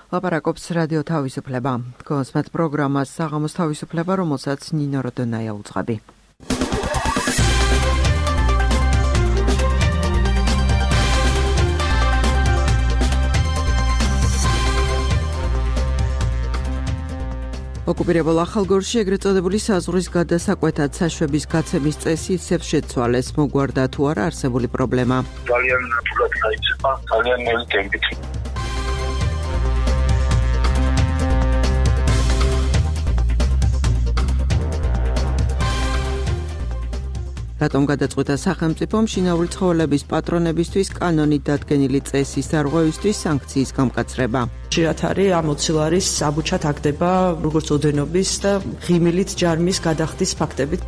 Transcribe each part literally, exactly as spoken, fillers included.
ლაპარაკობს რადიო თავისუფლება. გონსმეთ პროგრამას საღამოს თავისუფლება, რომელსაც ნინო როდონაია უძღვები. ოკუპირებულ ახალგორში ეგრეთ წოდებული საზღვრის გადასაკვეთად საშვების გაცემის წესი ისევ შეცვალეს, მოგვარდა თუ არა არსებული პრობლემა. ძალიან ნათლად გაიწება, ძალიან ნელი ტემპით. რატომ გადაწყვიტა სახელმწიფომ შინაური ცხოველების პატრონებისთვის კანონით დადგენილი წესის დარღვევისთვის სანქციის გამკაცრება? ხშირად არის ამოცილარის საბუჩად აგდება როგორც ოდენობის და ღიმილით ჯარმის გადახდის ფაქტებით.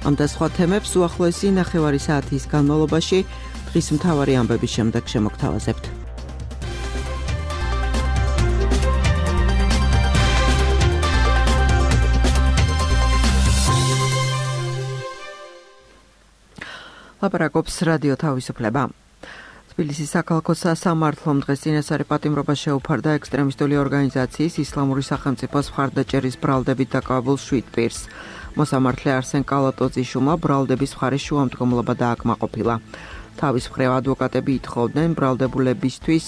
ამ და სხვა თემებს უახლოესი ნახევარი საათის განმავლობაში დღის მთავარი ამბების შემდეგ შემოგთავაზებთ. ლაპარაკობს რადიო თავისუფლება. თბილისის საქალაქო სასამართლომ დღეს წინასწარი პატიმრობა შეუფარდა ექსტრემისტული ორგანიზაციის ისლამური სახელმწიფოს მხარდაჭერის ბრალდებით დაკავებულ შვიდ პირს. მოსამართლე არსენ კალატოძიშვილმა ბრალდების მხარის შუამდგომლობა დააკმაყოფილა. თავის მხრივ ადვოკატები ითხოვდნენ ბრალდებულებისთვის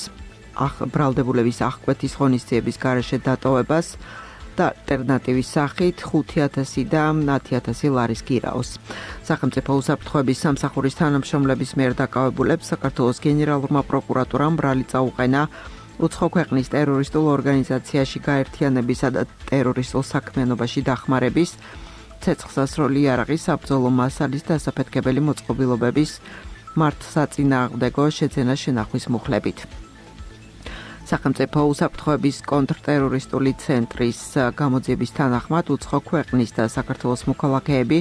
ბრალდებულების აღკვეთის ღონისძიების გარეშე დატოვებას და ალტერნატივის სახით ხუთი ათასი და ათი ათასი ლარის გირაოს. სახელმწიფო უსაფრთხოების სამსახურის თანამშრომლების მიერ დაკავებულებს საქართველოს გენერალურმა პროკურატურამ ბრალი წაუყენა უცხო ქვეყნის ტერორისტულ ორგანიზაციაში გაერთიანებისა და ტერორისტულ საქმიანობაში დახმარების, ცეცხლსასროლი იარაღის, საბრძოლო მასალის დასაფეთქებელი მოწყობილობების მართლსაწინააღმდეგო შეძენა შენახვის მუხლებით. სახელმწიფო უსაფრთხოების კონტრტერორისტული ცენტრის გამოძიების თანახმად უცხო ქვეყნის და საქართველოს მოქალაქეები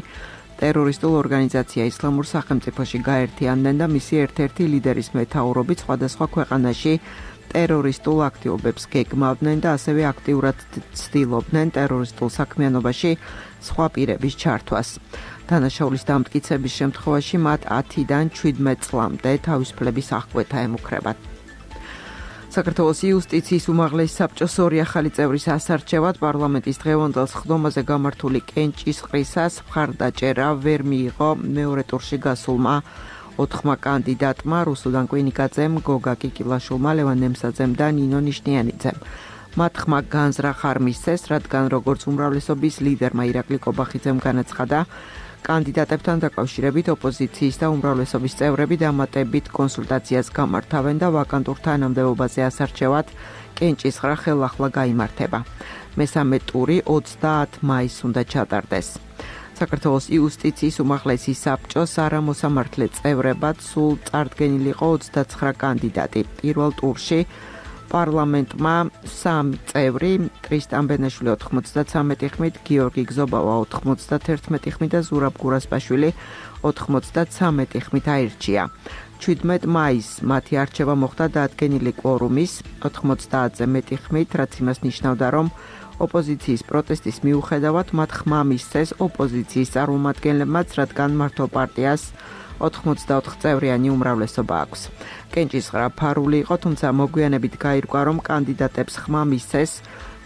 ტერორისტულ ორგანიზაცია ისლამურ სახელმწიფოში გაერთიანდნენ და მისი ერთ-ერთი ლიდერის მეთაურობით სხვადასხვა ქვეყანაში ტერორისტულ აქტივობებს გეგმავდნენ და ასევე აქტიურად ცდილობდნენ ტერორისტულ საქმიანობაში სხვა პირების ჩართვას. დანაშაულის დამტკიცების შემთხვევაში მათ ათიდან შვიდმეტ წლამდე თავისუფლების აღკვეთა ემუქრებათ. საქართველოს იუსტიციის უმაღლესი საბჭოს ორი ახალი წევრის ასარჩევად პარლამენტის დღევანდელ სხდომაზე გამართული კენჭისყრისას მხარდაჭერა ვერ მიიღო მეორე ტურში გასულმა ოთხმა კანდიდატმა რუსუდან კვინიკაძემ, გოგა კიკილაშვილმა, ლევან ნემსაძემ და ნინო ნიშნიანიძემ. მათ ხმა განზრახ არ მისცეს, რადგან როგორც უმრავლესობის ლიდერმა ირაკლი კობახიძემ განაცხადა, კანდიდატებთან დაკავშირებით ოპოზიციის და უმრავლესობის წევრები დამატებით კონსულტაციას გამართავენ და ვაკანტურ თანამდებობაზე ასარჩევად კენჭისყრა ხელახლა გაიმართება. მესამე ტური ოცდაათი მაისს უნდა ჩატარდეს. საქართველოს იუსტიციის უმაღლესი საბჭოს არამოსამართლე წევრებად სულ წარდგენილი იყო ოცდაცხრა კანდიდატი. პირველ ტურში პარლამენტმა სამი წევრი, ტრისტან ბენაშვილი ოთხმოცდათრამეტი ხმით, გიორგი გზობავა ოთხმოცდათერთმეტი ხმით და ზურაბ გურასპაშვილი ოთხმოცდათრამეტი ხმით აირჩია. შვიდმეტ მაისს მათი არჩევა მოხდა დაადგენილი კვორუმის ოთხმოცდაათზე მეტი ხმით, რაც იმას ნიშნავდა, რომ ოპოზიციის პროტესტის მიუხედავად მათ ხმა მისცეს ოპოზიციის წარმომადგენლებმაც, რადგან მართლ პარტიას ოთხმოცდაოთხ წევრიანი უმრავლესობა აქვს. კენჭისყრა ფარული იყო, თუმცა მოგვიანებით გაირკვა, რომ კანდიდატებს ხმა მისცეს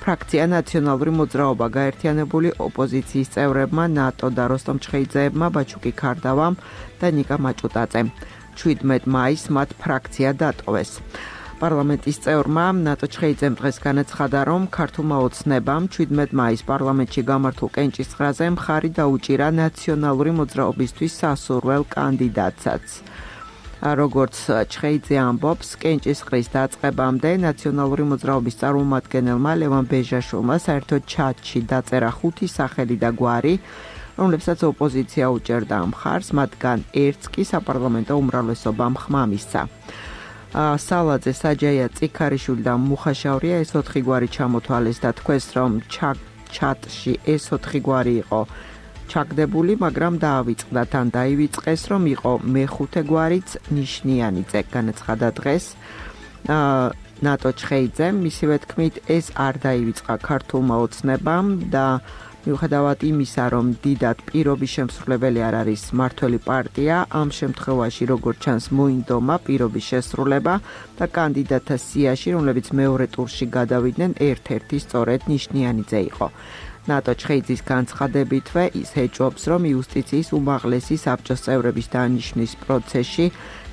ფრაქცია ნაციონალური მოძრაობა გაერთიანებული ოპოზიციის წევრებმა, ნატო და როსტომ ჩხეიძეებმა, ბაჩუკი ქარდავამ და ნიკა მაჭუტაძემ. შვიდმეტ მაისს მათ ფრაქცია დატოვეს. პარლამენტის წევრმა ნატო ჩხეიძემ დღეს განაცხადა, რომ ქართულმა ოცნებამ შვიდმეტ მაისს პარლამენტში გამართულ კენჭისყრაზე მხარი დაუჭირა ნაციონალური მოძრაობისთვის სასურველ კანდიდატსაც. როგორც ჩხეიძე ამბობს, კენჭისყრის დაწყებამდე ნაციონალური მოძრაობის წარმომადგენელმა ლევან ბეჟაშვილმა საერთოდ ჩატში დაწერა ხუთი სახელი და გვარი, რომლებსაც ოპოზიცია უჭერდა მხარს, მათგან ერთს კი საპარლამენტო უმრავლესობამ ხმა მისცა. სალაძე, საჯაია, წიქარიშვილი და მუხაშავრია ეს ოთხი გვარი ჩამოთვალეს და თქვეს, რომ ჩატში ეს ოთხი გვარი იყო ჩაგდებული, მაგრამ დაავიწყდა, თან დაივიწყეს, რომ იყო მეხუთე გვარიც ნიშნიანიძე, განაცხადა დღეს ნატო ჩხეიძემ. მისივე თქმით, ეს არ დაივიწყა ქართულმა ოცნებამ და მიუხედავად იმისა, რომ დიდად პირობის შემსრულებელი არ არის მმართველი პარტია, ამ შემთხვევაში როგორც ჩანს მოინდომა პირობის შესრულება და კანდიდატთა სიაში, რომლებიც მეორე ტურში გადავიდნენ, ერთ-ერთი სწორედ ნიშნიანიძე იყო. ნატო ჩხეიძის განცხადებითვე ის ეჭვობს, რომ იუსტიციის უმაღლესი საბჭოს წევრების დანიშვნის პროცესში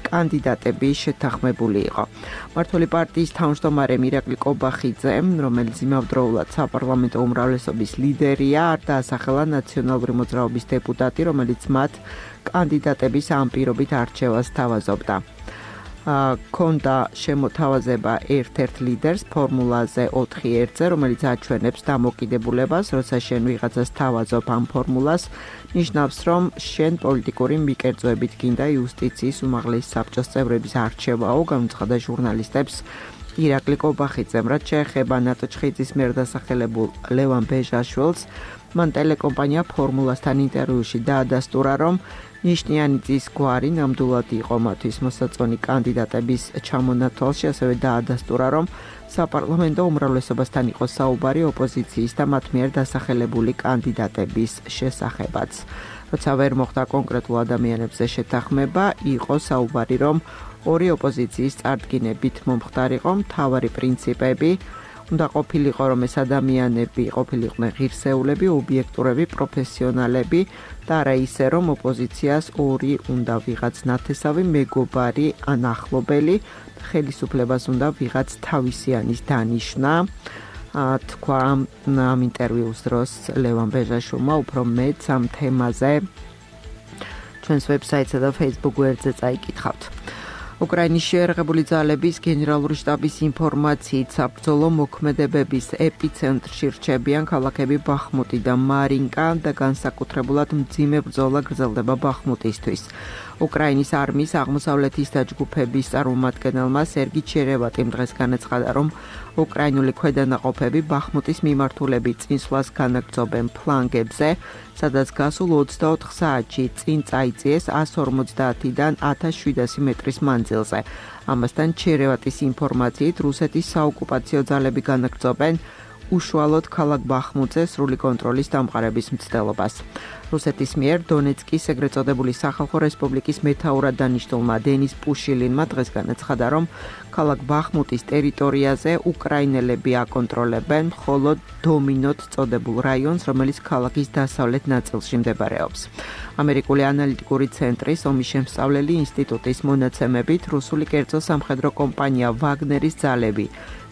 კანდიდატები შეთანხმებული იყო. მმართველი პარტიის თავმჯდომარე მირაკლი კობახიძე, რომელიც იმავდროულად საპარლამენტო უმრავლესობის ლიდერია, არ დაასახელა ნაციონალური მოძრაობის დეპუტატი, რომელიც მათ კანდიდატების ამ პირობით არჩევას თავაზობდა. Ქონდა შემოთავაზება ერთ-ერთ ლიდერს ფორმულაზე ოთხი ერთზე, რომელიც აჩვენებს დამოკიდებულებას, როცა შენ ვიღაცას თავაზობ ამ ფორმულას, ნიშნავს, რომ შენ პოლიტიკური მიკერძოებით გინდა იუსტიციის უმაღლესი საბჭოს წევრების არჩევაო, გამოცხადა ჟურნალისტებს ირაკლი კობახიძემ, რაც შეეხება ნატო ჩხეიძის მიერ დასახელებულ ლევან ბეჟაშვილს, მან ტელეკომპანია ფორმულასთან ინტერვიუში დაადასტურა, რომ ნიშნიანიძის გვარი ნამდვილად იყო მათთვის მოსაწონი კანდიდატების ჩამონათვალში, ასევე დაადასტურა, რომ საპარლამენტო უმრავლესობასთან იყო საუბარი ოპოზიციის და მათ მიერ დასახელებული კანდიდატების შესახებაც. როცა ვერ მოხდა კონკრეტულ ადამიანებზე შეთანხმება, იყო საუბარი, რომ ორი ოპოზიციის წარდგინებით მომხდარიყო მთავარი პრინციპები, უნდა ყოფილიყო, რომ ეს ადამიანები ყოფილიყვნენ ღირსეულები, ობიექტურები, პროფესიონალები და არა ისე, რომ ოპოზიციას ორი უნდა ვიღაც ნათესავი, მეგობარი ან ახლობელი, ხელისუფლებას უნდა ვიღაც თავისიანის დანიშვნა. თქვა ამ ინტერვიუს დროს ლევან ბეჟაშვილმა უფრო მეტ ამ თემაზე ჩვენს ვებსაიტსა და Facebook გვერდზე წაიკითხავთ. უკრაინის შეერაღებული ძალების გენერალური შტაბის ინფორმაციით საბრძოლო მოქმედებების ეპიცენტრში რჩებიან ქალაქები ბახმუტი და მარინკა და განსაკუთრებულად მძიმე ბრძოლა გრძელდება ბახმუტისთვის. უკრაინის არმიის აღმოსავლეთის დაჯგუფების წარმომადგენელმა სერგი ჩერევატიმ დღეს განაცხადა, რომ უკრაინული ქვედანაყოფები ბახმუტის მიმართულებით წინსვლას განაგრძობენ ფლანგებზე, სადაც გასულ ოცდაოთხ საათში წინ წაიწიეს ათას ორმოცდაათიდან ათას შვიდასი მეტრის მანძილზე. ამასთან ჩერევატის ინფორმაციით რუსეთის საოკუპაციო ძალები განაგრძობენ უშუალოდ ქალაქ ბახმუტზე სრული კონტროლის დამყარების მცდელობას. რუსეთის მიერ დონეცკის ეგრეთ წოდებული სახალხო რესპუბლიკის მეთაურად დანიშნულმა დენის პუშილინმა დღეს განაცხადა, რომ ქალაქ ბახმუტის ტერიტორიაზე უკრაინელები აკონტროლებენ მხოლოდ დომინოთ წოდებულ რაიონს, რომელიც ქალაქის დასავლეთ ნაწილში მდებარეობს. ამერიკული ანალიტიკური ცენტრის ომის შემსწავლელი ინსტიტუტის მონაცემებით რუსული კერძო სამხედრო კომპანია ვაგნერის ძალები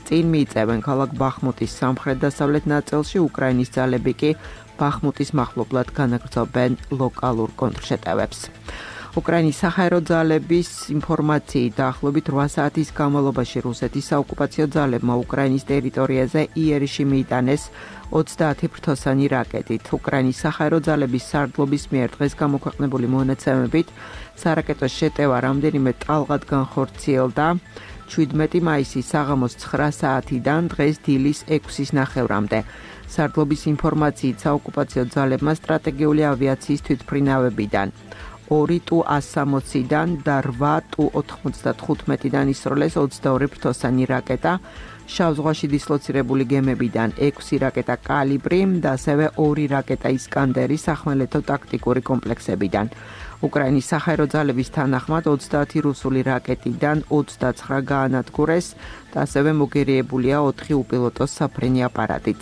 წინ მიიწევენ ქალაქ ბახმუტის სამხრეთ-დასავლეთ ნაწილში, უკრაინის ძალები კი ბახმუტის მახლობლად განაგრძობენ ლოკალურ კონტრშეტევებს. უკრაინის საჰაერო ძალების ინფორმაციით დაახლოებით რვა საათის განმავლობაში რუსეთის საოკუპაციო ძალებმა უკრაინის ტერიტორიაზე იერიში მიიტანეს ოცდაათი ფრთოსანი რაკეტით. უკრაინის საჰაერო ძალების სარდლობის მიერ დღეს გამოქვეყნებული მონაცემებით სარაკეტო შეტევა რამდენიმე ტალღად განხორციელდა შვიდმეტი მაისის საღამოს ცხრა საათიდან დღეს დილის ექვსის ნახევრამდე. სარდლობის ინფორმაციით საოკუპაციო ძალებმა სტრატეგიული ავიაციის თვითმფრინავებიდან ორი ტუ ას სამოციდან და რვა ტუ ოთხმოცდათხუთმეტიდან ისროლეს ოცდაორი ფრთოსანი რაკეტა, შავ ზღვაში დისლოცირებული გემებიდან ექვსი რაკეტა კალიბრი და ასევე ორი რაკეტა ისკანდერი სახმელეთო ტაქტიკური კომპლექსებიდან. უკრაინის საჰაერო ძალების თანახმად ოცდაათი რუსული რაკეტიდან ოცდაცხრა გაანადგურეს და ასევე მოგერიებულია ოთხი უპილოტო საფრენი აპარატიც.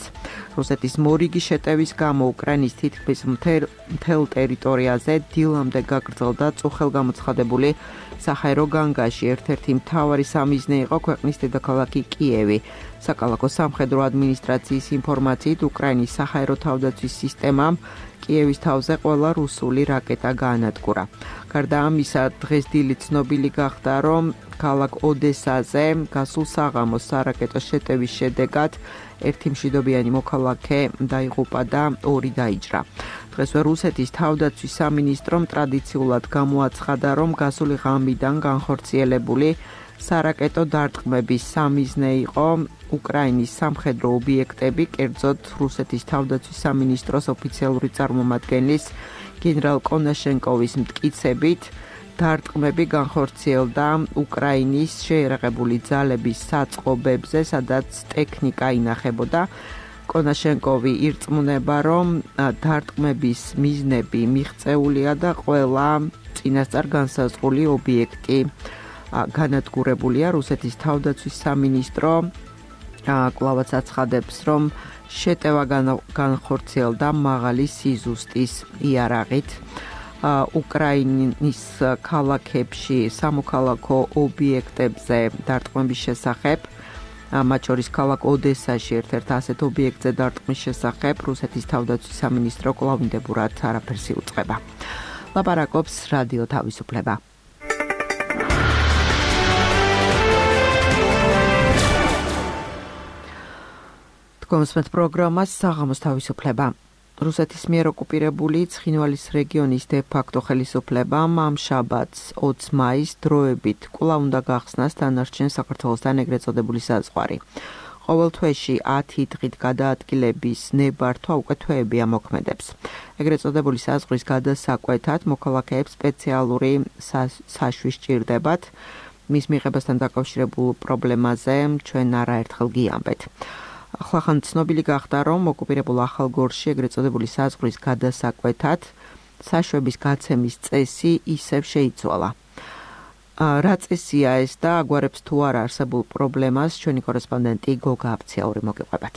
რუსეთის მორიგი შეტევის გამო უკრაინის თითქმის მთელ ტერიტორიაზე დილამდე გაგრძელდა წუხელგამოცხადებული საჰაერო განგაში. ერთ-ერთი მთავარი სამიზნე იყო ქვეყნის დედაქალაქი კიევი. საკალათო სამხედრო ადმინისტრაციის ინფორმაციით უკრაინის საჰაერო თავდაცვის სისტემამ კიევის თავზე ყველა რუსული რაკეტა გაანადგურა. გარდა ამისა, დღეს დილით ცნობილი გახდა, რომ ქალაქ ოდესაზე გასულ საღამოს სარაკეტო შეტევის შედეგად ერთი მშვიდობიანი მოქალაქე დაიღუპა და ორი დაიჭრა. დღესვე რუსეთის თავდაცვის სამინისტრომ ტრადიციულად გამოაცხადა, რომ გასული ღამიდან განხორციელებული სარაკეტო დარტყმების სამიზნე იყო უკრაინის სამხედრო ობიექტები, კერძოდ რუსეთის თავდაცვის სამინისტროს ოფიციალური წარმომადგენლის გენერალ კონაშენკოვის მტკიცებით, დარტყმები განხორციელდა უკრაინის შეერაღებული ძალების საწყობებზე, სადაც ტექნიკა ინახებოდა. კონაშენკოვი ირწმუნება, რომ დარტყმების მიზნები მიღწეულია და ყველა წინასწარ განსაზღვრული ობიექტი განადგურებულია. რუსეთის თავდაცვის სამინისტრო კვლავაც აცხადებს, რომ შეტევა განხორციელდა მაღალი სიზუსტის იარაღით. უკრაინის ქალაქებში სამოქალაქო ობიექტებზე დარტყმების შესახებ, მათ შორის ქალაქ ოდესაში ერთ-ერთ ასეთ ობიექტზე დარტყმის შესახებ რუსეთის თავდაცვის სამინისტრო კვლავინდებურად არაფერს იუწყება. ლაპარაკობს რადიო თავისუფლება. თქვენს პროგრამას საღამოს თავისუფლება. რუსეთის მიერ ოკუპირებული ცხინვალის რეგიონის დე-ფაქტო ხელისუფლებამ ამ შაბათს ოცი მაისს დროებით კვლავ უნდა გახსნას დანარჩენ საქართველოსთან ეგრეთ წოდებული საზღვარი. ყოველ თვეში ათი დღით გადაადგილების ნებართვა უკვე თვეებია მოქმედებს. ეგრეთ წოდებული საზღვრის გადასაკვეთად მოქალაქეებს სპეციალური საშვის სჭირდებათ. მის მიღებასთან დაკავშირებულ პრობლემაზე ჩვენ არაერთხელ გიამბეთ. ახლახან ცნობილი გახდა, რომ ოკუპირებულ ახალგორში ეგრეთ წოდებული საზღვრის გადასაკვეთად საშვების გაცემის წესი ისევ შეიცვალა. რა წესია ეს და აგვარებს თუ არა არსებულ პრობლემას, ჩვენი კორესპონდენტი გოგა აფციაური მოგიყვებათ.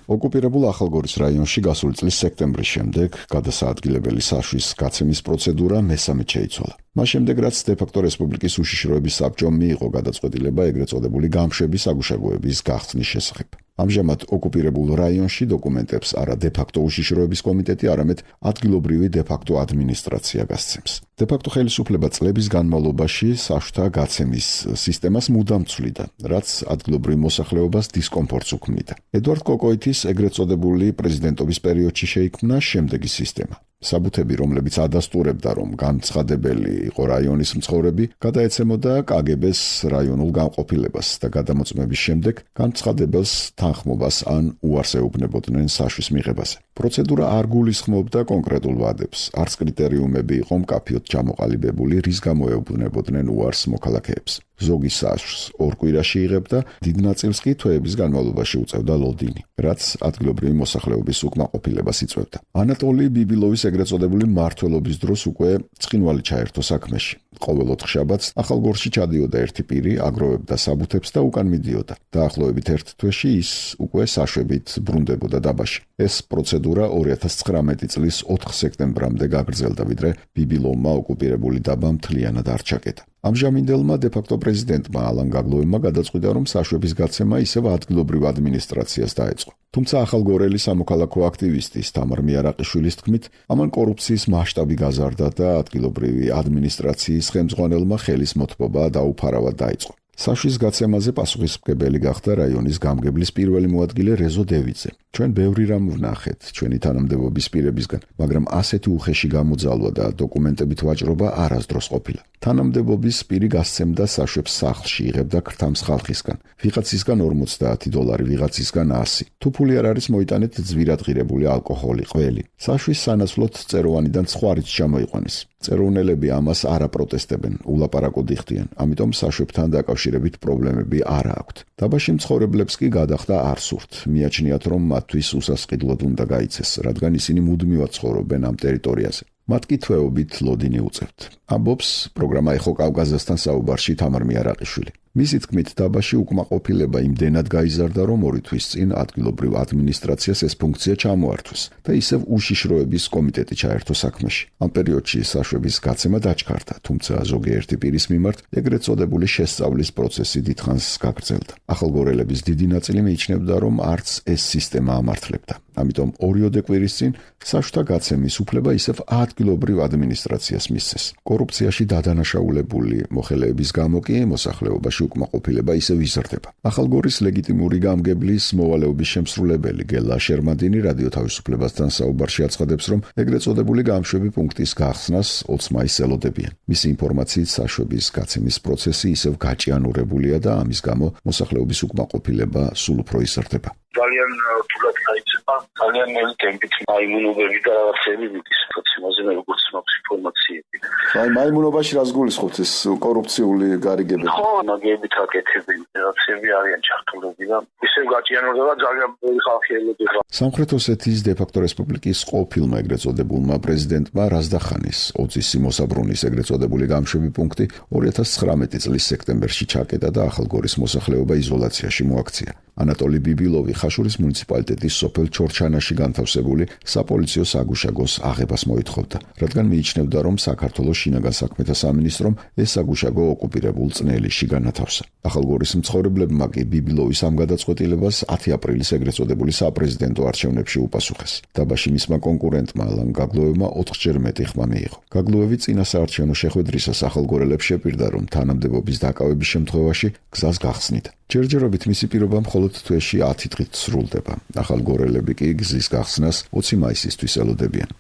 ოკუპირებულ ახალგორის რაიონში გასული წლის სექტემბრის შემდეგ გადასაადგილებელი საშვის გაცემის პროცედურა მესამედ შეიცვალა. მას შემდეგ, რაც დე-ფაქტო რესპუბლიკის უშიშროების საბჭომ მიიღო გადაწყვეტილება ეგრეთ წოდებული გამშვების აგუშაგოების გახსნის შესახებ. ამჟამად ოკუპირებულ რაიონში დოკუმენტებს არა დე-ფაქტო უშიშროების კომიტეტი, არამედ ადგილობრივი დე-ფაქტო ადმინისტრაცია გასცემს. დე-ფაქტო ხელისუფლება წლების განმავლობაში საშუთა გაცემის სისტემას მუდამ ცვლიდა, რაც ადგილობრივ მოსახლეობას დისკომფორტს უქმნიდა. ედვარდ კოკოიტის ეგრეთ წოდებული პრეზიდენტობის პერიოდში შეიქმნა შემდეგი სისტემა. საბუთები, რომლებიც ადასტურებდა, რომ განცხადებელი იყო რაიონის მცხოვრები, გადაეცემოდა კაგებეს რაიონულ განყოფილებას და გადამოწმების შემდეგ განცხადებელს თანხმობას ან უარს ეუბნებოდნენ საშვის მიღებაზე. პროცედურა არ გულისხმობდა კონკრეტულ ვადებს, არც კრიტერიუმები იყო მკაფიოდ ჩამოყალიბებული, რის გამო ეუბნებოდნენ უარს მოქალაქეებს. ზოგი საშვს ორ კვირაში იღებდა, დიდ ნაწილს კი თვეების განმავლობაში უწევდა ლოდინი, რაც ადგილობრივი მოსახლეობის უკმაყოფილებას იწვევდა. ანატოლი ბიბილოვის ეგრეთ წოდებული მმართველობის დროს უკვე ცხინვალი ჩაერთო საქმეში. ყოველ ოთხშაბათს ახალგორში ჩადიოდა ერთი პირი, აგროვებდა საბუთებს და უკან მიდიოდა. დაახლოებით ერთ თვეში ის უკვე საშვებით ბრუნდებოდა დაბაში. ეს პროცედურა ორი ათას ცხრამეტი წლის ოთხ სექტემბრამდე გაგრძელდა, ვიდრე ბიბილოვმა ოკუპირებული დაბა მთლიანად არ ჩაკეტა. ამჟამინდელმა დე-ფაქტო პრეზიდენტმა ალან გაგლოევმა გადაწყვიტა, რომ საშვების გაცემა ისევ ადგილობრივ ადმინისტრაციას დაეწყო. თუმცა ახალგორელი სამოქალაქო აქტივისტის თამარ მიარაყიშვილის თქმით, ამან კორუფციის მასშტაბი გაზარდა და ადგილობრივი ადმინისტრაციის ხელმძღვანელმა ხელის მოთმობა დაუფარავად დაიწყო. საშვის გაცემაზე პასუხისმგებელი გახდა რაიონის გამგებლის პირველი მოადგილე რეზო დევიძე. ჩვენ ბევრი რამ ვნახეთ ჩვენი თანამდებობის პირებისგან, მაგრამ ასეთი უხეში გამოძალვა და დოკუმენტებით ვაჭრობა არასდროს ყოფილა. თანამდებობის პირი გასცემდა საშვებს სახლში, იღებდა ქრთამს ხალხისგან, ვიღაცისგან ორმოცდაათი დოლარი, ვიღაცისგან ასი. თუ ფული არ არის, მოიტანეთ ძვირად ღირებული ალკოჰოლი, ყველი. საშვის სანაცვლოდ წეროვანიდან სხვა რიც ჩამოიყვანეს. წეროვნელები ამას არ აპროტესტებენ, ულაპარაკოდ იხდიან, ამიტომ საშვებთან დაკავშირებით პრობლემები არ აქვთ. დაბაში მცხოვრებლებს კი გადახდა არ სურთ. მიაჩნიათ, რომ მათთვის უსასყიდლოდ უნდა გაიცეს, რადგან ისინი მუდმივად ცხოვრობენ ამ ტერიტორიაზე. მათ კი თვეობით ლოდინი უწევთ. ამბობს პროგრამა ეხო კავკაზასთან საუბარში თამარ მიარაყიშვილი. მისი თქმით, დაბაში უკმაყოფილება იმდენად გაიზარდა, რომ ორი თვის წინ ადგილობრივ ადმინისტრაციას ეს ფუნქცია ჩამოართვეს და ისევ უშიშროების კომიტეტი ჩაერთო საქმეში. ამ პერიოდში საშვების გაცემა დაჩქარდა, თუმცა ზოგიერთი პირის მიმართ ეგრეთ წოდებული შესწავლის პროცესი დიდხანს გაგრძელდა. ახალგორელების დიდი ნაწილი მიიჩნევდა, რომ არც ეს სისტემა ამართლებდა. ამიტომ ორიოდე კვირის წინ საშვთა გაცემის უფლება ისევ ადგილობრივ ადმინისტრაციას მისცეს. კორუფციაში დადანაშაულებული მოხელეების გამო კი მოსახლეობაში უკმაყოფილება ისევ იზრდება. ახალგორის ლეგიტიმური გამგებლის მოვალეობის შემსრულებელი გელა შერმადინი რადიო თავისუფლებასთან საუბარში აცხადებს, რომ ეგრეთ წოდებული გამშვები პუნქტის გახსნას ოცი მაისს ელოდებიან. მისი ინფორმაციით საშვების გაცემის პროცესი ისევ გაჭიანურებულია და ამის გამო მოსახლეობის უკმაყოფილება სულ უფრო იზრდება. ძალიან რთულად დაიწყება, ძალიან ნელი ტემპით აიმუნობები და რაღაცები მიდის. იმაზე მე როგორც მაქვს ინფორმაციები. აი მაიმუნობაში რას გულისხმობთ ეს კორუფციული გარიგებები? ხო, მაგებით აკეთები, რაღაცები არიან ჩართულები და ისევ გაჭიანურდება ძალიან ბევრი ხალხი ელოდება. სამხრეთ ოსეთის დე-ფაქტო რესპუბლიკის ყოფილმა ეგრეთ წოდებულმა პრეზიდენტმა რაზდახანის ოცის მოსაბრუნის ეგრეთ წოდებული გამშვები პუნქტი ორი ათას ცხრამეტი წლის სექტემბერში ჩაკეტა და ახალგორის მოსახლეობა იზოლაციაში მოაქცია. ანატოლი ბიბილოვი ხაშურის მუნიციპალიტეტის სოფელ ჩორჩანაში განთავსებული საპოლიციო საგუშაგოს აღებას მოითხოვდა, რადგან მიიჩნევდა, რომ საქართველოს შინაგან საქმეთა სამინისტრომ ეს საგუშაგო ოკუპირებულ წნელიში განათავსა. ახალგორის მცხოვრებლებმა კი ბიბილოვის ამ გადაწყვეტილებას ათი აპრილის ეგრეთ წოდებული საპრეზიდენტო არჩევნებში უპასუხეს. დაბაში მისმა კონკურენტმა ალან გაგლუევმა ოთხჯერ მეტი ხმა მიიღო. გაგლუევი წინა საარჩევნო შეხვედრისას ახალგორელებს შეპირდა, რომ თანამდებობის დაკავების შემთხვევაში გზას გახსნით. ჯერჯერობით მისი პირობა მხოლოდ თვეში ათი დღით სრულდება. ახალგორელები კი გზის გახსნას ოცი მაისისთვის ელოდებიან.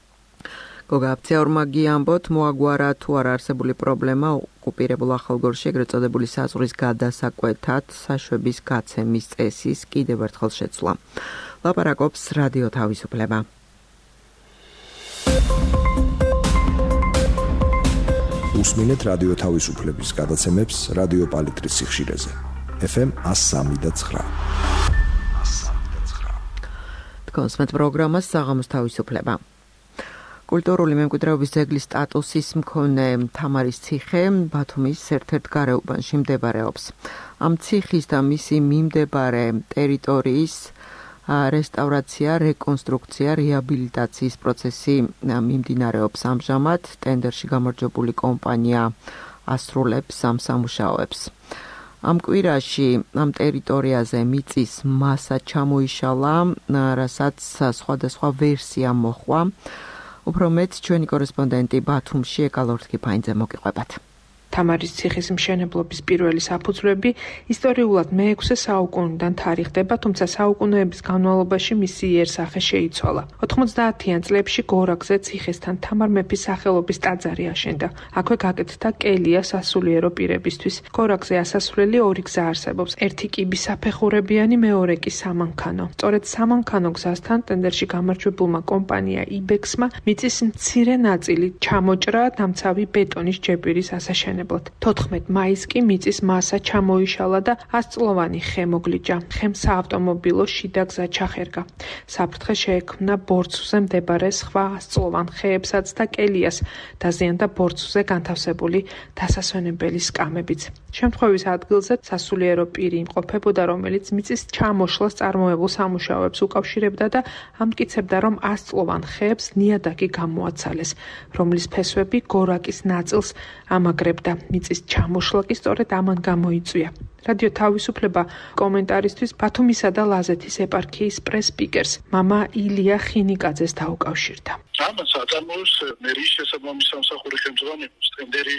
გოგა აფციაურმა გიამბოთ მოაგვარა თუ არ არსებული პრობლემა ოკუპირებულ ახალგორში ეგრეთ წოდებული საზღვრის გადასაკვეთად საშვების გაცემის წესის კიდევ ერთხელ შეცვლა. ლაპარაკობს რადიო თავისუფლება. უსმინეთ რადიო თავისუფლების გადაცემებს რადიო პალიტრის სიხშირეზე. ეფ ემ ას სამი და ცხრა. კონსმეთ პროგრამას საღამოს თავისუფლება. კულტურული მემკვიდრეობის ძეგლის სტატუსის მქონე თამარის ციხე ბათუმის ერთ-ერთ გარეუბანში მდებარეობს. ამ ციხის და მისი მიმდებარე ტერიტორიის რესტავრაცია, რეკონსტრუქცია, რეაბილიტაციის პროცესი მიმდინარეობს ამჟამად. ტენდერში გამარჯვებული კომპანია ასრულებს ამ სამუშაოებს. ამ კვირაში ამ ტერიტორიაზე მიწის მასა ჩამოიშალა, რასაც სხვადასხვა ვერსია მოჰყვა. უფრო მეტ ჩვენი კორესპონდენტი ბათუმში ეკალორთქიფაინძე მოგიყვებათ. თამარის ციხის მშენებლობის პირველი საფუძვლები ისტორიულად მეექვსე საუკუნიდან თარიღდება, თუმცა საუკუნეების განმავლობაში მისი იერსახე შეიცვალა. ოთხმოცდაათიან წლებში გორაკზე ციხესთან თამარ მეფის სახელობის ტაძარი აშენდა. აქვე გაკეთდა კელია სასულიერო პირებისთვის. გორაკზე ასასვლელი ორი გზა არსებობს. ერთი კიბის საფეხურებიანი, მეორე კი სამანქანო. სწორედ სამანქანო გზასთან ტენდერში გამარჯვებულმა კომპანია იბექსმა მიწის მცირე ნაწილი ჩამოჭრა დამცავი ბეტონის ჯეპირის ასაშენებლად. თოთხმეტ მაისს კი მიწის მასა ჩამოიშალა და ასწლოვანი ხე მოგლიჯა. ხემ საავტომობილო შიდა გზა ჩახერგა. საფრთხე შეექმნა ბორცვზე მდებარე სხვა ასწლოვან ხეებსაც და კელიას, დაზიანდა ბორცვზე განთავსებული დასასვენებელი სკამებიც. შემთხვევის ადგილზე სასულიერო პირი იმყოფებოდა, რომელიც მიწის ჩამოშლას წარმოებულ სამუშაოებს უკავშირებდა და ამტკიცებდა, რომ ასწლოვან ხეებს ნიადაგი გამოაცალეს, რომლის ფესვები გორაკის ნაწილს ამაგრებდა. მიწის ჩამოშლა კი სწორედ ამან გამოიწვია. რადიო თავისუფლება კომენტარისთვის ბათუმისა და ლაზეთის ეპარქიის პრეს-სპიკერს მამა ილია ხინიკაძეს დაუკავშირდა. ამას აწარმოებს მერიის შესაბამის სამსახური ხელმძღვანელობს ტენდერი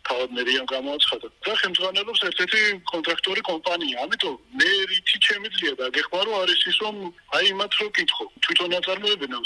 თავად მერიამ გამოაცხადა. და ხელმძღვანელობს ერთ-ერთი კონტრაქტორი კომპანია. ამიტომ მე რითი შემიძლია და გეხმარო არის ის, რომ აი იმათ რო კითხო. თვითონ აწარმოებენ ამ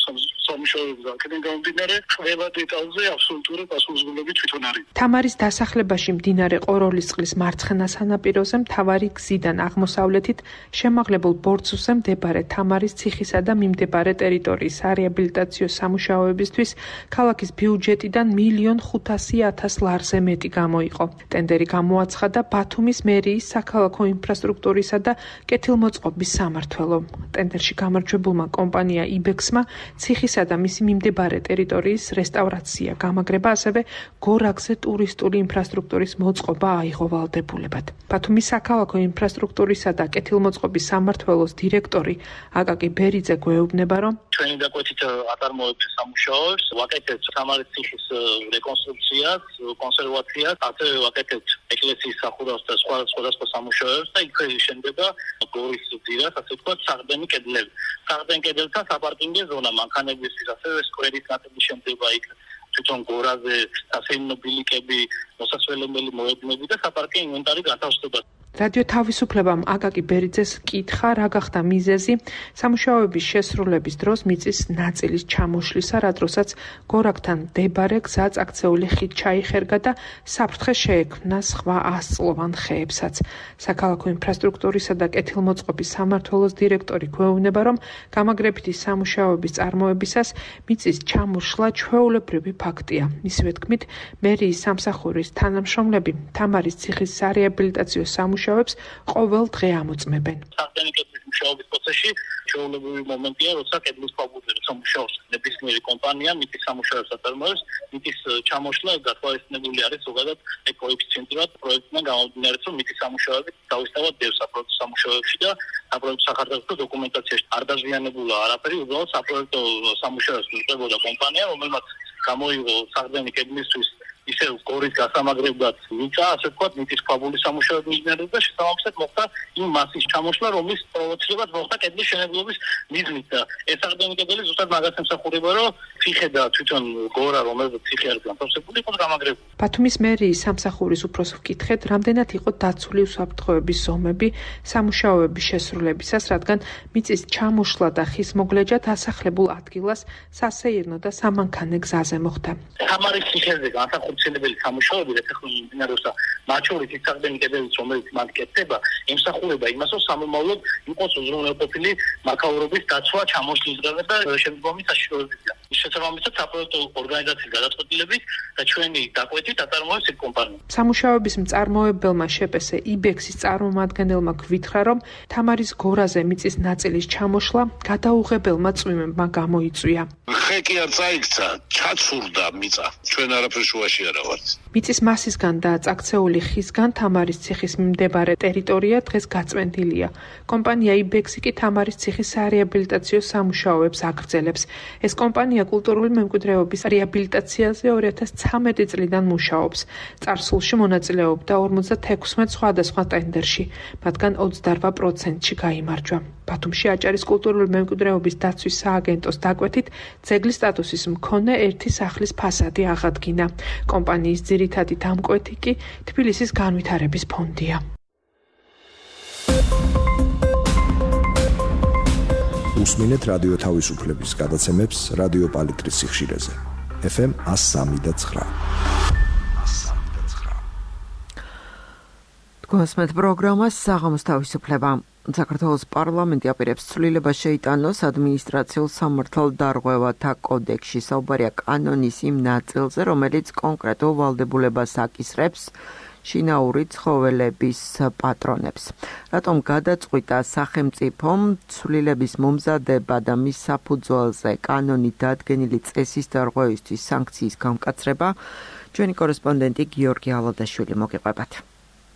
სამუშაოებს და აქედან გამომდინარე ყველა დეტალზე აბსოლუტური პასუხისმგებლობა თვითონ არის. თამარის დასახლებაში მდინარე ყოროლისწყლის მარცხენა სანაპიროზე მთავარი გზიდან აღმოსავლეთით შემაღლებულ ბორცვზე მდებარე თამარის ციხისა და მიმდებარე ტერიტორიისარეაბილიტაციო სამუშაოებისთვის ქალაქის ბიუჯეტიდან მილიონ ხუთასი ათას ლარზე მეტი გამოიყო. ტენდერი გამოაცხადა ბათუმის მერიის საქალაქო ინფრასტრუქტურისა და კეთილმოწყობის სამმართველომ. ტენდერში გამარჯვებულმა კომპანია იბექსმა ციხისა და მისი მიმდებარე ტერიტორიის რესტავრაცია, გამაგრება, ასევე გორაკზე ტურისტული ინფრასტრუქტურის მოწყობა აიღო ვალდებულებად. ბათუმის საქალაქო ინფრასტრუქტურისა და კეთილმოწყობის სამმართველოს დირექტორი აკაკი ბერიძე გვეუბნება, რომ ჩვენი დაკვეთით აწარმოებენ სამუშაოებს, ვაკეთებთ თამარის ციხის რეკონსტრუქციას, კონსერვაციას, ასევე ვაკეთებთ ეკლესიის სახურავს და სხვა სხვადასხვა სამუშაოებს და იქ შენდება გორის ძირას, ასე ვთქვათ, საყრდენი კედლები. საყრდენ კედელთან საპარკინგო ზონა, მანქანებისთვის, ასევე სკვერის ნაწილი შენდება იქ. თვითონ გორაზე სასეირნო ბილიკები, მოსასვლელებელი მოედნები და საპარკინგო ინვენტარი გათავსდება. რადიო თავისუფლებამ აკაკი ბერიძეს კითხა, რა გახდა მიზეზი სამუშაოების შესრულების დროს მიწის ნაწილის ჩამოშლისა, რა დროსაც გორაკთან მდებარე გზა წაქცეული ხიდ ჩაიხერგა და საფრთხე შეექმნა სხვა ასწლოვან ხეებსაც. საქალაქო ინფრასტრუქტურისა და კეთილმოწყობის სამმართველოს დირექტორი გვეუბნება, რომ გამაგრებითი სამუშაოების წარმოებისას მიწის ჩამოშლა ჩვეულებრივი ფაქტია. მისივე თქმით, მერიის სამსახურის თანამშრომლები თამარის ციხის სარეაბილიტაციო სამუშაოებს ყოველ დღე ამოწმებენ. საფრთხის მუშაობის პროცესში ჩვეულებრივი მომენტია, როცა კედლის ქვაბულზე სამუშაობს ნებისმიერი კომპანია, მიწის სამუშაოებს აწარმოებს, მიწის ჩამოშლა გათვალისწინებული არის ზოგადად კოეფიციენტურად პროექტიდან გამომდინარე, რომ მიწის სამუშაოები დავისწავად დევს საპროექტო სამუშაოებში და საპროექტო სახარდაჭერო დოკუმენტაციაში არ დაზიანებულა არაფერი, უბრალოდ საპროექტო სამუშაოებს უწევდა კომპანია, რომელმაც გამოიღო საყრდენი კედლისთვის ისე გორის გასამაგრებლად მიწა, ასე ვთქვათ, მიწის ქვაბულის სამუშაოები მიჯნერდა და შესაბამისად მოხდა იმ მასის ჩამოშლა, რომლის პროვოცირებაც მოხდა კედლის შენებლობის მიზნით და ეს საყრდენი კედელი ზუსტად მაგას ემსახურება, რომ ციხე და თვითონ გორა, რომელიც ციხე არის განთავსებული, იყოს გამაგრებული. ბათუმის მერიის სამსახურის უფროსს ვკითხეთ, რამდენად იყო დაცული უსაფრთხოების ზომები სამუშაოების შესრულებისას, რადგან მიწის ჩამოშლა და ხის მოგლეჯა დასახლებულ ადგილას სასეირნო და სამანქანე გზაზე მოხდა. თამარის ციხეზე განსახორციელებელი სამუშაოები და ტექნოლოგიური ინჟინერთა მათ შორის ის საყრდენი კედელიც, რომელიც მან კეთდება, ემსახურება იმას, რომ სამომავლოდ იყოს უზრუნველყოფილი მაქაურობის დაცვა, ჩამოშლისგან და შემდგომი საშიშროებისგან. შესაბამისად, საპროექტო ორგანიზაციის გადაწყვეტილებით და ჩვენი დაკვეთით აწარმოებს ეს კომპანია. სამუშაოების მწარმოებელმა შეპესე იბექსის წარმომადგენელმა გვითხრა, რომ თამარის გორაზე მიწის ნაწილის ჩამოშლა გადაუღებელმა წვიმებმა გამოიწვია. ხე კი არ წაიქცა, ჩაცურდა მიწა. ჩვენ არაფერ შუაში არა ვართ. მიწის მასისგან და წაქცეული ხისგან თამარის ციხის მიმდებარე ტერიტორია დღეს გაწმენდილია. კომპანია იბექსი კი თამარის ციხის სარეაბილიტაციო სამუშაოებს აგრძელებს. ეს კომპანია კულტურული მემკვიდრეობის რეაბილიტაციაზე ორი ათას ცხრამეტი წლიდან მუშაობს. წარსულში მონაწილეობდა ორმოცდაექვსმეტ სხვადასხვა ტენდერში, მათგან ოცდაოთხ პროცენტში გაიმარჯვა. ბათუმში აჭარის კულტურული მემკვიდრეობის დაცვის სააგენტოს დაკვეთით, ძეგლის სტატუსის მქონე ერთი სახლის ფასადი აღადგინა. კომპანიის ძირითადი დამკვეთი კი თბილისის განვითარების ფონდია. უსმინეთ რადიო თავისუფლების გადაცემებს რადიო პალიტრის სიხშირეზე. ეფ ემ εκατო სამი და ცხრა. თქვენსმეთ პროგრამას საღამოს თავისუფლება. საქართველოს პარლამენტი აპირებს ცვლილებას შეიტანოს ადმინისტრაციულ სამართალდარღვევათა კოდექსში. საუბარია კანონის იმ ნაწილზე, რომელიც კონკრეტულ ვალდებულებას აკისრებს შინაური ცხოველების პატრონებს. რატომ გადაწყვიტა სახელმწიფომ ცვლილების მომზადება და მის საფუძველზე კანონით დადგენილი წესის დარღვევისთვის სანქციის გამკაცრება? ჩვენი კორესპონდენტი გიორგი ალოდაშვილი მოგიყვებათ.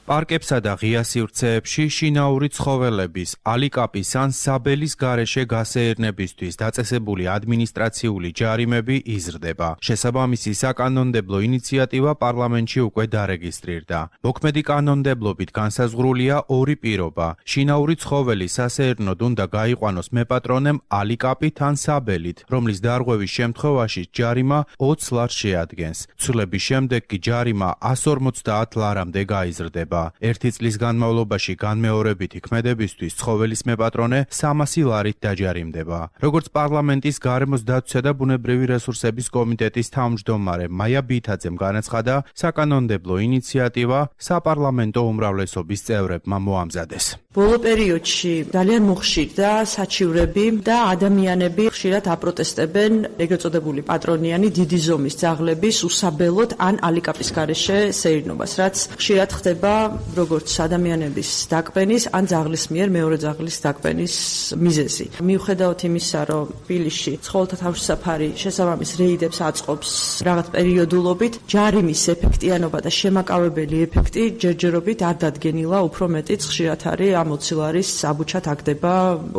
პარკებსა და ღია სივრცეებში შინაური ცხოველების, ალიკაპის ან საბელის გარეშე გასეირნებისთვის დაწესებული ადმინისტრაციული ჯარიმები იზრდება. შესაბამისი საკანონმდებლო ინიციატივა პარლამენტში უკვე დარეგისტრირდა. მოქმედი კანონმდებლობით განსაზღვრულია ორი პირობა. შინაური ცხოველი სასეირნოდ უნდა გაიყვანოს მეპატრონემ ალიკაპით ან საბელით, რომლის დარღვევის შემთხვევაში ჯარიმა ოცს ლარს შეადგენს. ცვლილების შემდეგ კი ჯარიმა εκατს ორმოცდაათ ლარამდე გაიზრდება. ერთი წლის განმავლობაში განმეორებითი ქმედებისთვის ცხოველის მეპატრონე სამასი ლარით დაჯარიმდება. როგორც პარლამენტის გარემოს დაცვისა და ბუნებრივი რესურსების კომიტეტის თავმჯდომარე მაია ბითაძემ განაცხადა, საკანონმდებლო ინიციატივა საპარლამენტო უმრავლესობის წევრებმა მოამზადეს. ბოლო პერიოდში ძალიან მოხშირდა საჩივრები და ადამიანები ხშირად აპროტესტებენ ეგრეთ წოდებული პატრონიანი დიდი ზომის ძაღლების უსაბელოდ ან ალიკაპის გარეშე სეირნობას, რაც ხშირად ხდება როგორც ადამიანების დაკბენის ან ძაღლის მიერ მეორე ძაღლის დაკბენის მიზეზი. მიუხედავად იმისა, რომ თბილისში ცხოველთა თავშესაფარი შესაბამის რეიდებს აწყობს რაღაც პერიოდულობით, ჯარიმის ეფექტიანობა და შემაკავებელი ეფექტი ჯერჯერობით არ დადგენილა, უფრო მეტიც ხშირად არის ამოცილარის საბუჩად აგდება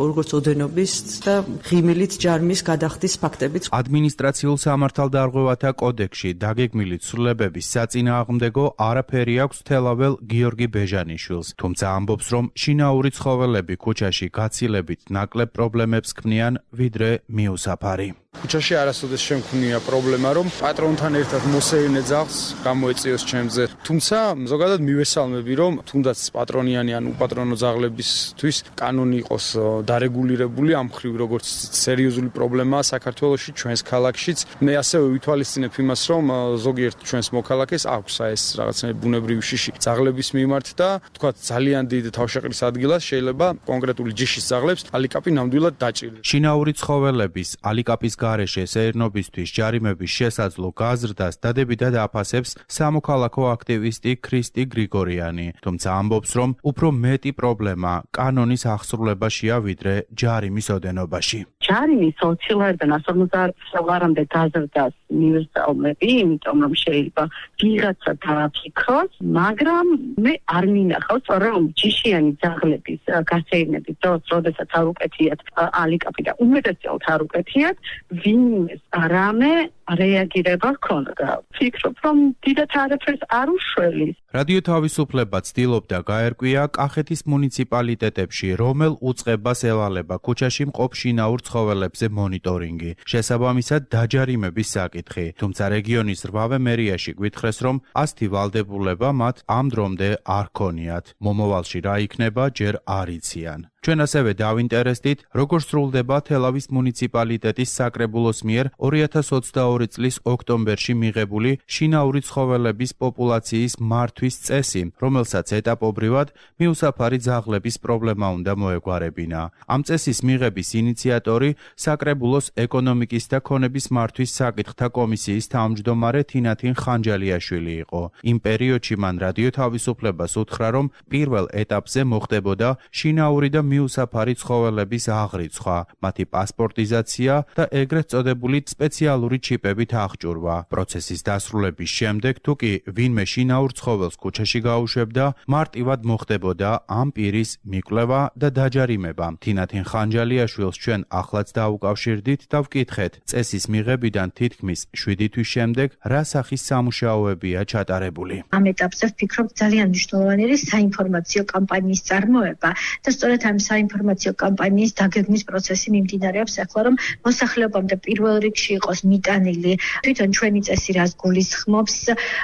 როგორც ოდენობის და ღიმილით ჯარიმის გადახდის ფაქტებიც. ადმინისტრაციულ სამართალდარღვევათა კოდექსში დაგეგმილი ცვლილებების საწინააღმდეგო არაფერი აქვს თელაվել გიორგი ბეჟანიშვილს, თუმცა ამბობს, რომ შინაური ცხოველები ქუჩაში გაცილებით ნაკლებ პრობლემებს ქმნიან, ვიდრე მიუსაფარი. ქუჩაში არასოდეს შემქმნია პრობლემა, რომ პატრონთან ერთად მოსეირნე ძაღლს გამოეწიოს ჩემზე. თუმცა ზოგადად მივესალმები, რომ თუნდაც პატრონიანი ან უპატრონო ძაღლებისთვის კანონი იყოს დარეგულირებული ამ მხრივ, როგორც სერიოზული პრობლემაა საქართველოში, ჩვენს ქალაქშიც. მე ასევე ვითვალისწინებ იმას, რომ ზოგიერთ ჩვენს მოქალაქეს აქვს ეს რაღაცნაირი ბუნებრივი შიში ძაღლების მიმართ და თქვა ძალიან დიდ თავშეყრის ადგილას შეიძლება კონკრეტული ჯიშის ძაღლებს ალიკაპი ნამდვილად დაჭირდეს. შინაური ცხოველების ალიკაპის გარეშე სეირნობისთვის ჯარიმების შესაძლო გაზრდას დადებითად აფასებს სამოქალაქო აქტივისტი ქრისტი გრიგორიანი, თუმცა ამბობს, რომ უფრო მეტი პრობლემა კანონის აღსრულებაშია, ვიდრე ჯარიმის ოდენობაში. ჯარიმის ოცილარიდან ას ორმოცდაათ ლარამდე გაზრდას მივესალმები, იმიტომ რომ შეიძლება ვიღაცა დააფიქროს, მაგრამ მე არ მინახავს, რომ ჯიშიანი ძაღლების გასეირნების დროს, როდესაც არ უკეთიათ ალიკაპი და უმეტესწილად არ უკეთიათ, ვინმეს რამე რეაგირება ჰქონდა. ვფიქრობ, რომ დიდად არაფერს არ უშველის. რადიო თავისუფლება ცდილობდა გაერკვია კახეთის მუნიციპალიტეტებში, რომელ უწყებას ევალება ქუჩაში მყოფ შინაურ ცხოველებზე მონიტორინგი, შესაბამისად დაჯარიმების საკითხი. თუმცა რეგიონის რვავე მერიაში გვითხრეს, რომ ასეთი ვალდებულება მათ ამ დრომდე არ ქონიათ. მომავალში რა იქნება, ჯერ არ იციან. ჩვენ ასევე დავინტერესდით, როგორ სრულდება თელავის მუნიციპალიტეტის საკრებულოს მიერ ორი ათას ოცდაორი წლის ოქტომბერში მიღებული შინაური ცხოველების პოპულაციის მართვის წესი, რომელსაც ეტაპობრივად მიუსაფარი ძაღლების პრობლემა უნდა მოეგვარებინა. ამ წესის მიღების ინიციატორი საკრებულოს ეკონომიკის და ქონების მართვის საკითხთა კომისიის თავმჯდომარე თინათინ ხანჯალიაშვილი იყო. იმ პერიოდში მან რადიო თავისუფლებას უთხრა, რომ პირველ ეტაპზე მოხდებოდა შინაური და მიუსაფარი ცხოველების აღრიცხვა, მათი პასპორტიზაცია და ეგრეთ წოდებული სპეციალური ჩიპებით აღჭურვა. პროცესის დასრულების შემდეგ, თუ კი ვინმე შინაურ ცხოველს ქუჩაში გაუშვებდა, მარტივად მოხდებოდა ამ პირის მიკვლევა და დაჯარიმება. თინათინ ხანჯალიაშვილს ჩვენ ახლაც დაუკავშირდით და ვკითხეთ, წესის მიღებიდან თითქმის შვიდი თვის შემდეგ რა სახის სამუშაოებია ჩატარებული. ამ ეტაპზე ვფიქრობ, ძალიან მნიშვნელოვანი არის საინფორმაციო კამპანიის წარმოება და სწორედ ამ საინფორმაციო კამპანიის დაგეგმვის პროცესი მიმდინარეობს ახლა, რომ მოსახლეობამდე პირველ რიგში იყოს მიტანილი თვითონ ჩვენი წესი რას გულისხმობს,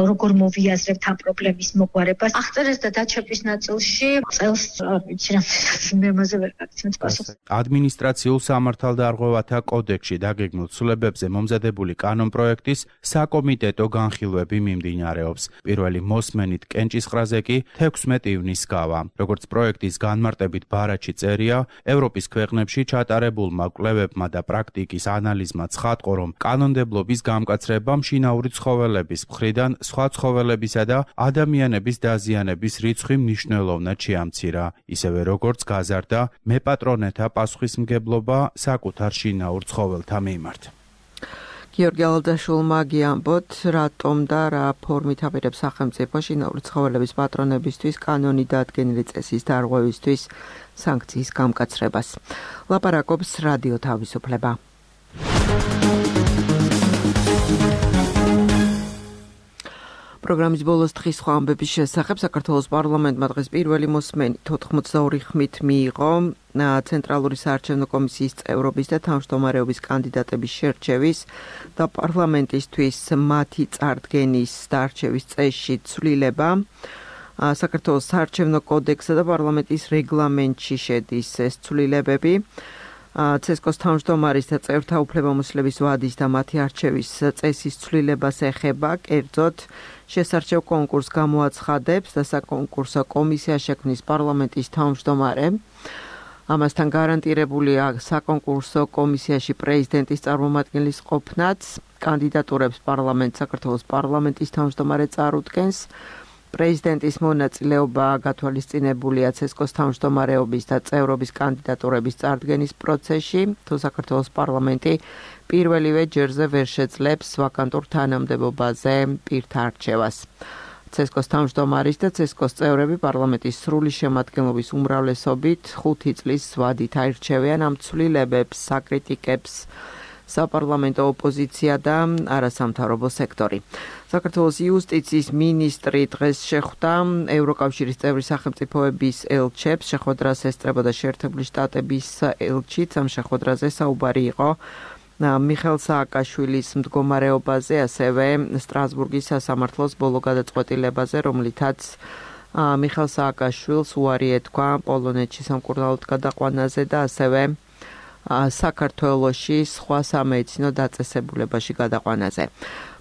როგორ მოვიაზრებთ ამ პრობლემის მოგვარებას. აღწერეს და დაჩერების ნაწილში წელს არ ვიცი რამდენად მე მასე ვერ გაგცემთ პასუხს. ადმინისტრაციულ სამართალდარღვევათა კოდექსში დაგეგმილ ცვლილებებზე მომზადებული კანონპროექტის საკომიტეტო განხილვები მიმდინარეობს. პირველი მოსმენით კენჭისყრაზე კი თექვსმეტი ივნის გავა. როგორც პროექტის განმარტებით ბარაჩი წერია, ევროპის ქვეყნებში ჩატარებულმა კვლევებმა და პრაქტიკის ანალიზმა ცხადყო, რომ კანონმდებლობის გამკაცრებამ შინაური ცხოველების მხრიდან სხვა ცხოველებისა და ადამიანების დაზიანების რიცხვი მნიშვნელოვნად შეამცირა, ისევე როგორც გაზარდა მეპატრონეთა პასუხისმგებლობა საკუთარ შინაურ ცხოველთა მიმართ. გიორგი ალდაშულმა გიამბოთ, რატომ და რა ფორმით აპირებს სახელმწიფო შინაური ცხოველების პატრონებისთვის კანონი დადგენილი წესის დარღვევისთვის სანქციის გამკაცრებას. ლაპარაკობს რადიო თავისუფლება. პროგრამის ბოლოს დღის სხვა ამბების შესახებ საქართველოს პარლამენტმა დღეს პირველი მოსმენით ოთხმოცდაორი ხმით მიიღო ცენტრალური საარჩევნო კომისიის წევრობის და თავმჯდომარეობის კანდიდატების შერჩევის და პარლამენტისთვის მათი წარდგენის და არჩევის წესში ცვლილება. საქართველოს საარჩევნო კოდექსსა და პარლამენტის რეგლამენტში შედის ეს ცვლილებები. ცესკოს თავმჯდომარის და წევრთა უფლებამოსილების ვადის და მათი არჩევის წესის ცვლილებას ეხება, კერძოდ შესარჩევ კონკურსს გამოაცხადებს და საკონკურსო კომისია შექმნის პარლამენტის თავმჯდომარე. ამასთან გარანტირებულია საკონკურსო კომისიაში პრეზიდენტის წარმომადგენლის ყოფნაც, კანდიდატურებს პარლამენტ საქართველოს პარლამენტის თავმჯდომარე წარუდგენს. პრეზიდენტის მონაწილეობა გათვალისწინებულია ცესკოს თავმჯდომარეობის და წევრობის კანდიდატურების წარდგენის პროცესში, თუ საქართველოს პარლამენტი პირველივე ჯერზე ვერ შეძლებს ვაკანტურ თანამდებობაზე პირთა არჩევას. ცესკოს თავმჯდომარის და ცესკოს წევრები პარლამენტის სრული შემადგენლობის უმრავლესობით ხუთი წლის ვადით აირჩევიან ამ ცვლილებებს, საკრიტიკებს საპარლამენტო ოპოზიცია და არასამთავრობო სექტორი. საქართველოს იუსტიციის მინისტრი დღეს შეხვდა ევროკავშირის წევრი სახელმწიფოების ელჩებს, შეხვედრას ესწრებოდა შეერთებული შტატების ელჩიც. ამ შეხვედრაზე საუბარი იყო მიხელ სააკაშვილის მდგომარეობაზე, ასევე სტრასბურგის სასამართლოს ბოლო გადაწყვეტილებაზე, რომლითაც მიხელ სააკაშვილს უარი ეთქვა პოლონეთში სამკურნალოდ გადაყვანაზე და ასევე საქართველოში სხვა სამედიცინო დაწესებულებაში გადაყვანაზე.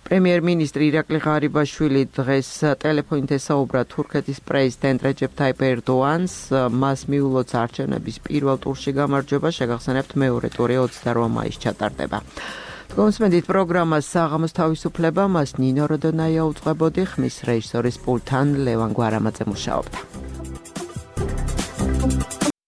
პრემიერ-მინისტრი ირაკლი ღარიბაშვილი დღეს ტელეფონით ესაუბრა თურქეთის პრეზიდენტ რეჯეფ თაიპ ერდოანს, მას მიულოცა არჩევნების პირველ ტურში გამარჯვება, შეგახსენებთ მეორე ტური ოცდაორ მაისს ჩატარდება. გონსმენდით პროგრამას საღამოს თავისუფლება, მას ნინო როდონაია უძღვებოდი, ხმის რეჟისორის პულტთან ლევან გვარამაძე მუშაობდა.